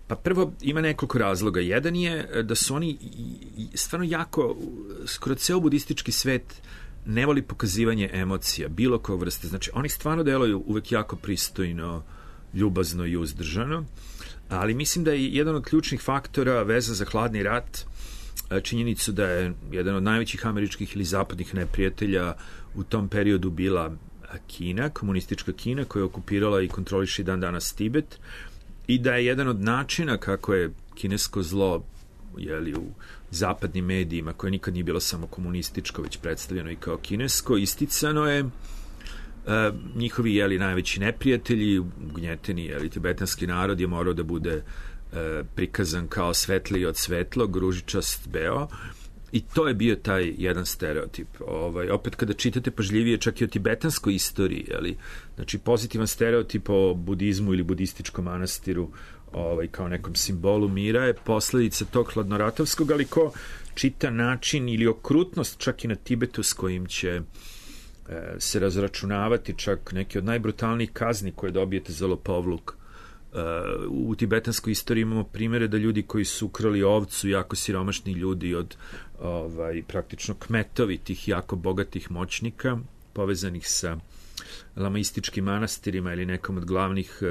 Pa prvo, ima nekoliko razloga. Jedan je da su oni stvarno jako, skoro ceo budistički svet ne voli pokazivanje emocija, bilo koje vrste. Znači, oni stvarno deluju uvek jako pristojno, ljubazno i uzdržano, ali mislim da je jedan od ključnih faktora veza za hladni rat činjenicu da je jedan od najvećih američkih ili zapadnih neprijatelja u tom periodu bila Kina, komunistička Kina, koja je okupirala i kontroliše dan danas Tibet, i da je jedan od načina kako je kinesko zlo u zapadnim medijima, koje nikad nije bilo samo komunističko, već predstavljeno i kao kinesko, isticano je njihovi najveći neprijatelji, ugnjeteni tibetanski narod je morao da bude prikazan kao svetliji od svetlog, ružičast beo, i to je bio taj jedan stereotip. Opet kada čitate pažljivije čak i o tibetanskoj istoriji, znači pozitivan stereotip o budizmu ili budističkom manastiru kao nekom simbolu mira je posledica tog hladnoratovskog, ali ko čita način ili okrutnost čak i na Tibetu s kojim će se razračunavati čak neke od najbrutalnijih kazni koje dobijete za lopovluk. U tibetanskoj istoriji imamo primere da ljudi koji su ukrali ovcu, jako siromašni ljudi od praktično kmetovi tih jako bogatih moćnika povezanih sa lamaističkim manastirima ili nekom od glavnih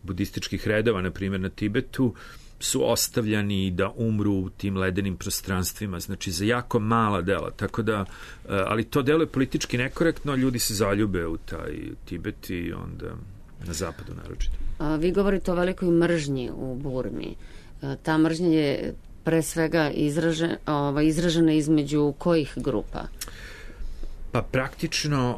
budističkih redova, na primjer na Tibetu, su ostavljani da umru u tim ledenim prostranstvima, znači za jako mala dela, tako da, ali to delo je politički nekorektno, ljudi se zaljube u taj Tibet i onda na zapadu naročito. Vi govorite o velikoj mržnji u Burmi. Ta mržnja je pre svega izražena između kojih grupa? Pa praktično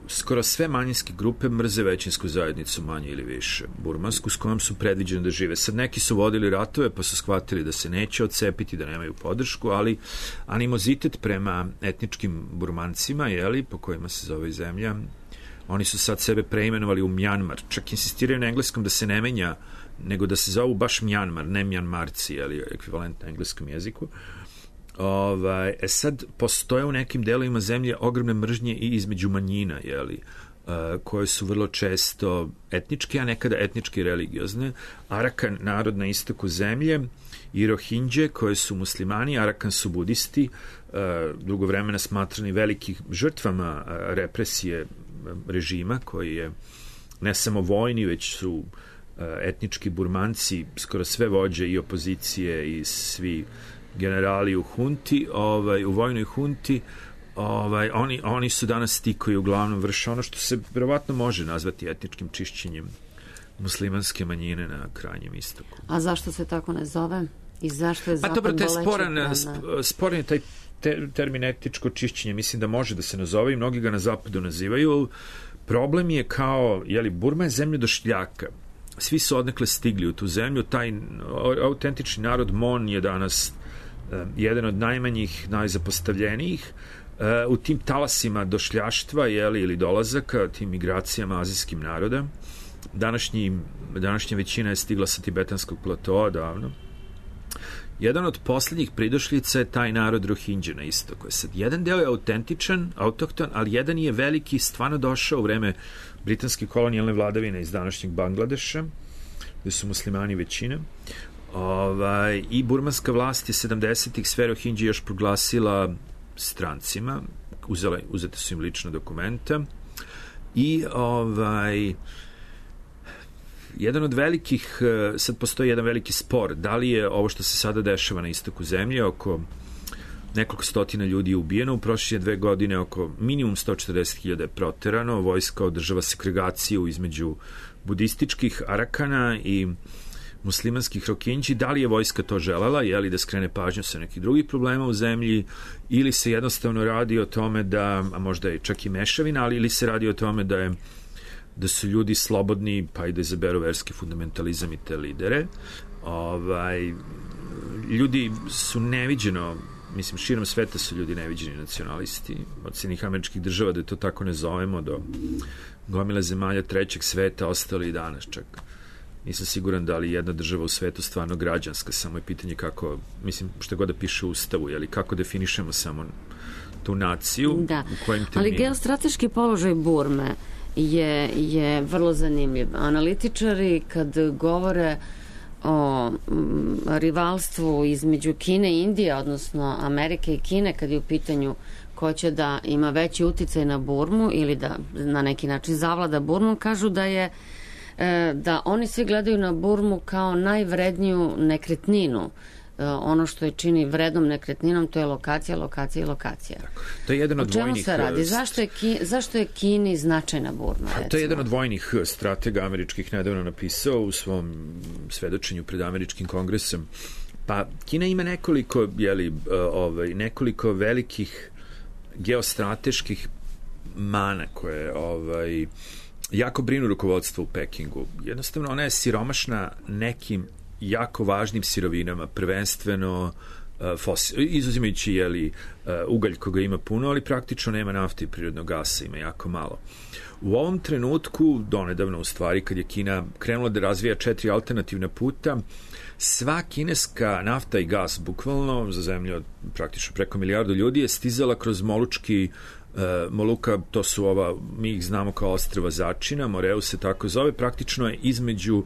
skoro sve manjinske grupe mrze većinsku zajednicu, manje ili više burmansku, s kojom su predviđeni da žive. Sad neki su vodili ratove pa su shvatili da se neće odcepiti, da nemaju podršku, ali animozitet prema etničkim Burmancima, po kojima se zove zemlja, oni su sad sebe preimenovali u Mjanmar. Čak insistiraju na engleskom da se ne menja, nego da se zovu baš Mjanmar, ne Mjanmarci, ekvivalent na engleskom jeziku. Sad postoje u nekim delovima zemlje ogromne mržnje i između manjina, koje su vrlo često etničke, a nekada etnički religiozne. Arakan, narod na istoku zemlje, i Rohingje, koje su muslimani, Arakan su budisti, dugo vremena smatrani velikih žrtvama represije režima, koji je ne samo vojni, već su etnički Burmanci, skoro sve vođe i opozicije i svi generali u hunti, u vojnoj hunti, oni su danas ti koji uglavnom vrše ono što se verovatno može nazvati etničkim čišćenjem muslimanske manjine na krajnjem istoku. A zašto se tako ne zove? I zašto je zapad dobro, sporan je taj termin etničko čišćenje, mislim da može da se nazove i mnogi ga na zapadu nazivaju. Problem je kao, Burma je zemlja došljaka. Svi su odnekle stigli u tu zemlju. Taj autentični narod Mon je danas jedan od najmanjih, najzapostavljenijih. U tim talasima došljaštva ili dolazaka, tim migracijama azijskim naroda, današnja većina je stigla sa tibetanskog platoa davno. jedan od poslednjih pridošljica je taj narod Rohingya na istoku. Sad, jedan deo je autentičan, autohton, ali jedan je veliki, stvarno došao u vreme britanske kolonijalne vladavine iz današnjeg Bangladeša, gde su muslimani većina. I burmanska vlast je 70-ih sve Rohingya još proglasila strancima, uzete su im lična dokumenta i jedan od velikih, sad postoji jedan veliki spor, da li je ovo što se sada dešava na istoku zemlje, oko nekoliko stotina ljudi je ubijeno, u prošle 2 godine oko minimum 140.000 je proterano, vojska održava segregaciju između budističkih Arakana i muslimanskih Rohingya, da li je vojska to želela, je li da skrene pažnju sa nekih drugih problema u zemlji, ili se jednostavno radi o tome da, a možda je čak i mešavina, ali ili se radi o tome da su ljudi slobodni, pa i da izaberu verski fundamentalizam i te lidere. Ljudi su neviđeno, mislim, širom sveta su ljudi neviđeni nacionalisti, od Sjedinjenih Američkih Država, da to tako ne zovemo, do gomile zemalja trećeg sveta, ostali i danas čak. Nisam siguran da li jedna država u svetu stvarno građanska, samo je pitanje kako, mislim, što god da piše u Ustavu, jeli, kako definišemo samo tu naciju, da. U kojim terminima. Ali geostrateški položaj Burme je vrlo zanimljiv. Analitičari kad govore o rivalstvu između Kine i Indije, odnosno Amerike i Kine, kad je u pitanju ko će da ima veći uticaj na Burmu ili da na neki način zavlada Burmu, kažu da oni svi gledaju na Burmu kao najvredniju nekretninu. Ono što je čini vrednom nekretninom, to je lokacija, lokacija i lokacija. Tako. To je jedan od vojnih... O čemu se radi? Zašto je Kini značajna Burma? To je jedan od vojnih stratega američkih nedavno napisao u svom svedočenju pred američkim kongresom. Pa Kina ima nekoliko velikih geostrateških mana koje jako brinu rukovodstvo u Pekingu. Jednostavno, ona je siromašna nekim jako važnim sirovinama, prvenstveno izuzimajući ugalj koga ima puno, ali praktično nema nafte i prirodnog gasa, ima jako malo. U ovom trenutku, donedavno u stvari, kad je Kina krenula da razvija 4 alternativna puta, sva kineska nafta i gas, bukvalno za zemlju od praktično preko 1 milijardu ljudi, je stizala kroz Moluka, to su mi ih znamo kao ostrva Začina, Moreu se tako zove, praktično je između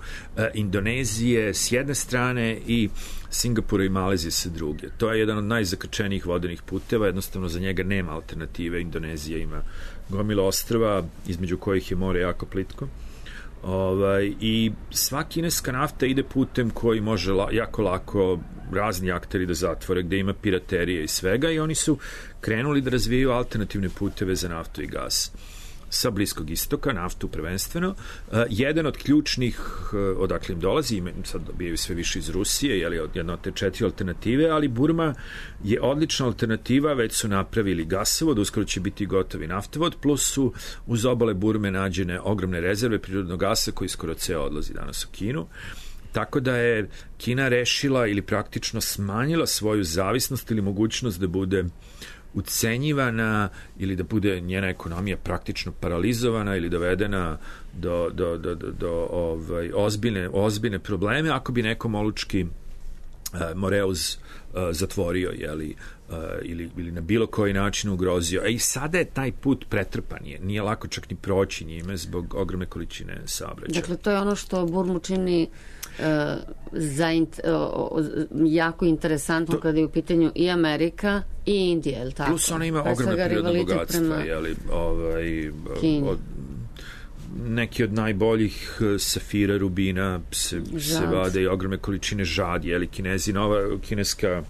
Indonezije s jedne strane i Singapura i Malezije sa druge. To je jedan od najzakrčenijih vodenih puteva, jednostavno za njega nema alternative. Indonezija ima gomilu ostrva, između kojih je more jako plitko. I sva kineska nafta ide putem koji može jako lako razni akteri da zatvore, gde ima piraterije i svega, i oni su krenuli da razvijaju alternativne puteve za naftu i gas sa Bliskog istoka, naftu prvenstveno. Jedan od ključnih, odakle im dolazi, sad dobijaju sve više iz Rusije, jedna od te 4 alternative, ali Burma je odlična alternativa, već su napravili gasovod, uskoro će biti gotovi naftovod, plus su uz obale Burme nađene ogromne rezerve prirodnog gasa koji skoro ceo odlazi danas u Kinu. Tako da je Kina rešila ili praktično smanjila svoju zavisnost ili mogućnost da bude ucenjivana ili da bude njena ekonomija praktično paralizovana ili dovedena do ozbiljne probleme ako bi neko Molučki Moreuz zatvorio ili na bilo koji način ugrozio. I sada je taj put pretrpan, nije lako čak ni proći njime zbog ogromne količine saobraćaja. Dakle, to je ono što Burmu čini jako interesantno kada je u pitanju i Amerika i Indija, je li tako? Plus ona ima ogromne prirodne bogatstva, neki od najboljih safira, rubina se vade i ogromne količine žad, Kinezi, nova kineska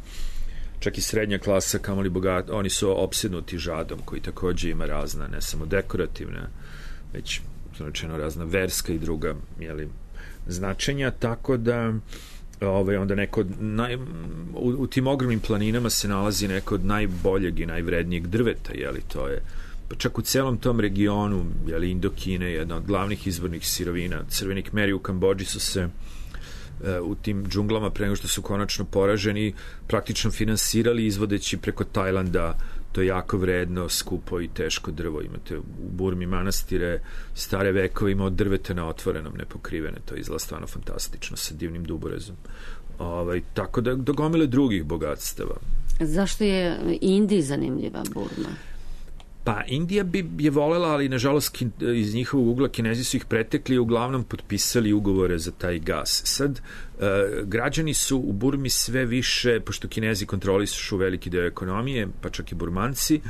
čak i srednja klasa, kamoli bogat, oni su opsednuti žadom, koji takođe ima razna, ne samo dekorativna, već značajno razna verska i druga, značenja, tako da onda neko u tim ogromnim planinama se nalazi neko od najboljeg i najvrednijeg drveta, to je pa čak u celom tom regionu, Indokine je jedna od glavnih izvornih sirovina. Crveni Kmeri u Kambodži su se u tim džunglama, pre nego što su konačno poraženi, praktično finansirali izvodeći preko Tajlanda to jako vredno, skupo i teško drvo. Imate u Burmi manastire stare vekovima od drveta na otvorenom, nepokrivene. To izgleda stvarno fantastično, sa divnim duborezom. Tako da do gomile drugih bogatstava. Zašto je Indiji zanimljiva Burma? Pa Indija je volela, ali nažalost iz njihovog ugla Kinezi su ih pretekli i uglavnom potpisali ugovore za taj gas. Sad, građani su u Burmi sve više, pošto Kinezi kontrolišu veliki deo ekonomije, pa čak i Burmanci,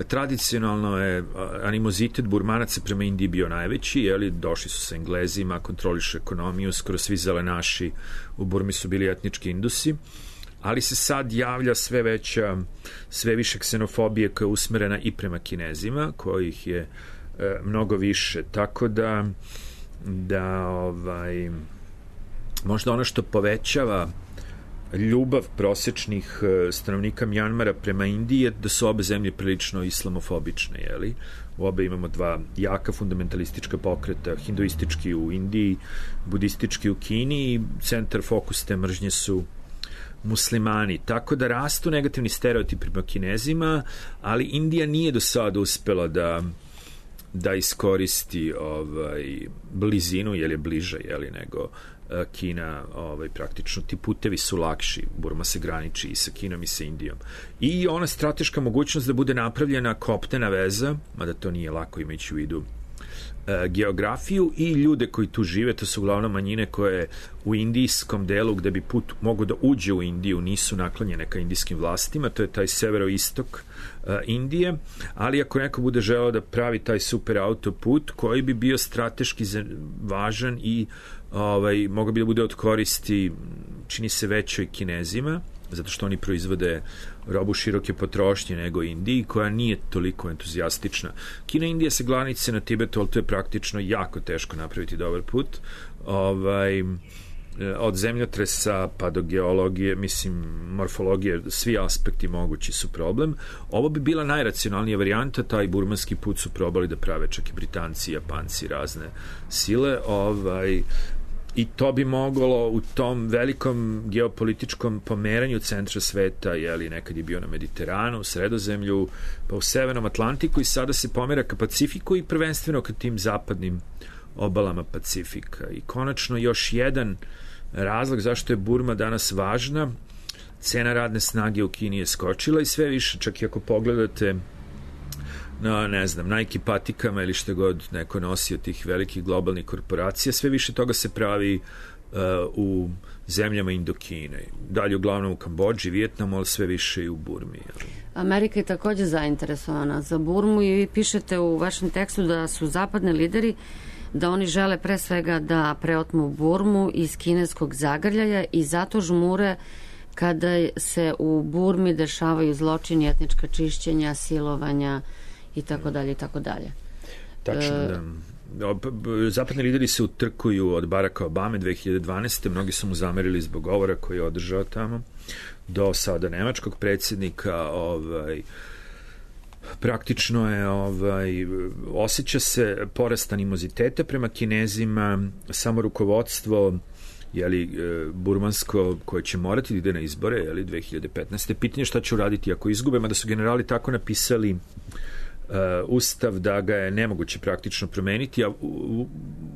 tradicionalno je animozitet Burmanaca prema Indiji bio najveći, došli su sa Englezima, kontrolišu ekonomiju, skoro svi zelenaši u Burmi su bili etnički Indusi, ali se sad javlja sve više ksenofobije koja je usmerena i prema Kinezima, kojih je mnogo više, tako da možda ono što povećava ljubav prosečnih stanovnika Mjanmara prema Indiji je da su obe zemlje prilično islamofobične, U obe imamo dva jaka fundamentalistička pokreta, hinduistički u Indiji, budistički u Kini i centar fokus te mržnje su muslimani, tako da rastu negativni stereotipi prema Kinezima, ali Indija nije do sada uspela da iskoristi blizinu, jer je bliža nego Kina, praktično ti putevi su lakši, Burma se graniči i sa Kinom i sa Indijom. I ona strateška mogućnost da bude napravljena kopnena veza, mada to nije lako imajući u vidu geografiju i ljude koji tu žive, to su uglavnom manjine koje u indijskom delu gde bi put mogo da uđe u Indiju nisu naklonjene ka indijskim vlastima, to je taj severoistok Indije, ali ako neko bude želeo da pravi taj super autoput koji bi bio strateški važan i mogao bi da bude od koristi, čini se većoj Kinezima, zato što oni proizvode robu široke potrošnje nego Indiji, koja nije toliko entuzijastična. Kina i Indija se granice na Tibetu, ali to je praktično jako teško napraviti dobar put. Od zemljotresa pa do geologije, morfologije, svi aspekti mogući su problem. Ovo bi bila najracionalnija varijanta, taj burmanski put su probali da prave čak i Britanci, Japanci, razne sile, i to bi moglo u tom velikom geopolitičkom pomeranju centra sveta, nekad je bio na Mediteranu, u Sredozemlju, pa u Severnom Atlantiku i sada se pomera ka Pacifiku i prvenstveno ka tim zapadnim obalama Pacifika. I konačno još jedan razlog zašto je Burma danas važna, cena radne snage u Kini je skočila i sve više, čak i ako pogledate na, Nike patikama ili što god neko nosi od tih velikih globalnih korporacija, sve više toga se pravi u zemljama Indokine. Dalje uglavnom u Kambodži, Vijetnamu, ali sve više i u Burmi. Amerika je takođe zainteresovana za Burmu i vi pišete u vašem tekstu da su zapadni lideri, da oni žele pre svega da preotmu Burmu iz kineskog zagrljaja i zato žmure kada se u Burmi dešavaju zločini, etnička čišćenja, silovanja i tako dalje i tako dalje. Tačno, da. Zapadni lideri se utrkuju od Baracka Obame 2012. Mnogi su mu zamerili zbog govora koji je održao tamo, do sada nemačkog predsjednika. Praktično je osjeća se porast animoziteta prema Kinezima, samo rukovodstvo burmansko koje će morati da ide na izbore 2015. Pitanje šta će uraditi ako izgube, mada su generali tako napisali ustav da ga je nemoguće praktično promeniti, a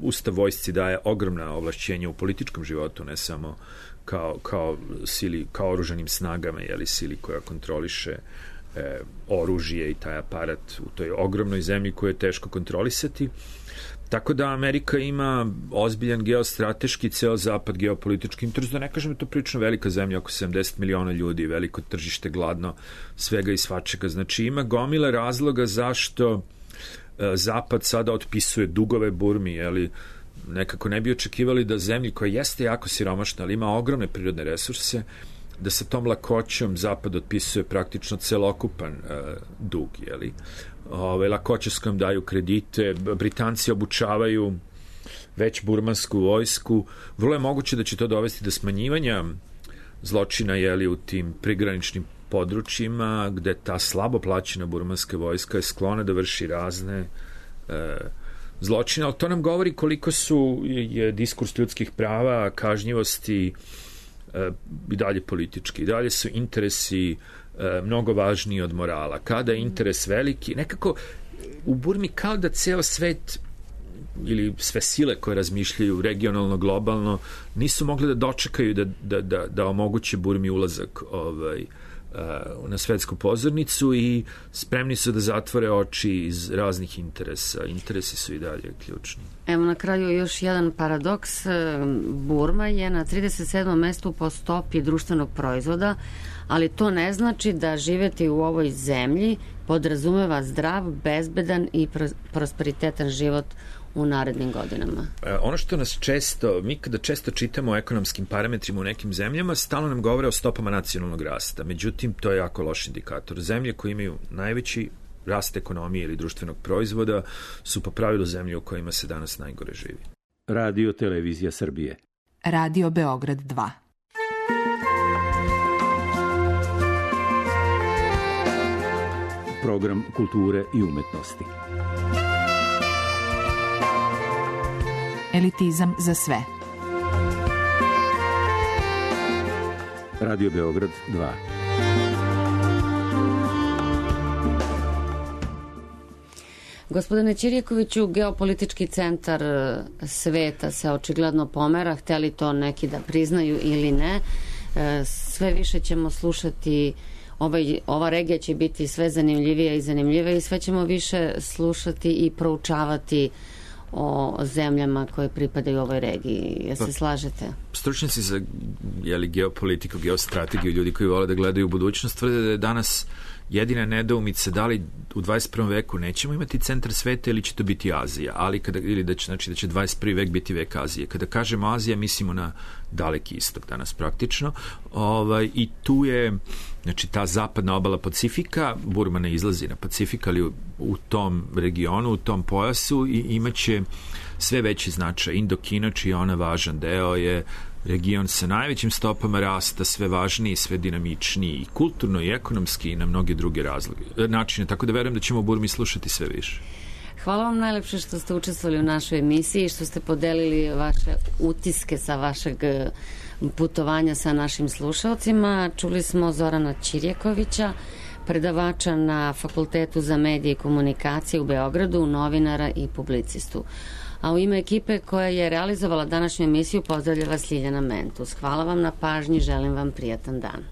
ustav vojsci daje ogromna ovlašćenja u političkom životu, ne samo kao sili, kao oružanim snagama, sili koja kontroliše oružje i taj aparat u toj ogromnoj zemlji koju je teško kontrolisati. Tako da Amerika ima ozbiljan geostrateški, ceo zapad geopolitički interes, da ne kažem da je to prilično velika zemlja, oko 70 miliona ljudi, veliko tržište, gladno, svega i svačega. Znači ima gomile razloga zašto zapad sada otpisuje dugove Burmi, nekako ne bi očekivali da zemlji koja jeste jako siromašna, ali ima ogromne prirodne resurse, da sa tom lakoćom zapad otpisuje praktično celokupan dug, lakoće s kojom daju kredite, Britanci obučavaju već burmansku vojsku, vrlo je moguće da će to dovesti do smanjivanja zločina u tim prigraničnim područjima gde ta slabo plaćena burmanska vojska je sklona da vrši razne zločine, ali to nam govori koliko je diskurs ljudskih prava, kažnjivosti i dalje politički, i dalje su interesi mnogo važniji od morala. Kada je interes veliki, nekako u Burmi kao da ceo svet ili sve sile koje razmišljaju regionalno, globalno, nisu mogli da dočekaju da omoguće Burmi ulazak na svetsku pozornicu i spremni su da zatvore oči iz raznih interesa. Interesi su i dalje ključni. Evo na kraju još jedan paradoks. Burma je na 37. mestu po stopi društvenog proizvoda, ali to ne znači da živeti u ovoj zemlji podrazumeva zdrav, bezbedan i prosperitetan život u narednim godinama. Ono što nas mi kada često čitamo o ekonomskim parametrima u nekim zemljama, stalno nam govore o stopama nacionalnog rasta. Međutim, to je jako loš indikator. Zemlje koje imaju najveći rast ekonomije ili društvenog proizvoda su po pravilu zemlje u kojima se danas najgore živi. Radio Televizija Srbije. Radio Beograd 2. Program kulture i umetnosti. Elitizam za sve. Radio Beograd 2. Gospodine Ćirjakoviću, geopolitički centar sveta se očigledno pomera, hteli to neki da priznaju ili ne. Sve više ćemo slušati, ova regija će biti sve zanimljivija i zanimljivija i sve ćemo više slušati i proučavati o zemljama koje pripadaju ovoj regiji. Jel se slažete? Stručnjaci za geopolitiku, geostrategiju, ljudi koji vole da gledaju u budućnost, tvrde da je danas jedina nedoumica da li u 21. veku nećemo imati centar sveta ili će to biti Azija, ili da će 21. vek biti vek Azije. Kada kažemo Azija, mislimo na daleki istok danas praktično. I tu je ta zapadna obala Pacifika, Burma ne izlazi na Pacifik, ali u tom regionu, u tom pojasu imaće sve veći značaj. Indokina, čiji je ona važan deo, je region sa najvećim stopama rasta, sve važniji, sve dinamičniji i kulturno i ekonomski i na mnoge druge načine. Tako da verujem da ćemo u Burmi slušati sve više. Hvala vam najlepše što ste učestvovali u našoj emisiji i što ste podelili vaše utiske sa vašeg putovanja sa našim slušalcima. Čuli smo Zorana Ćirjakovića, predavača na Fakultetu za medije i komunikacije u Beogradu, novinara i publicistu. A u ime ekipe koja je realizovala današnju emisiju pozdravlja vas Ljiljana Mentus. Hvala vam na pažnji, želim vam prijatan dan.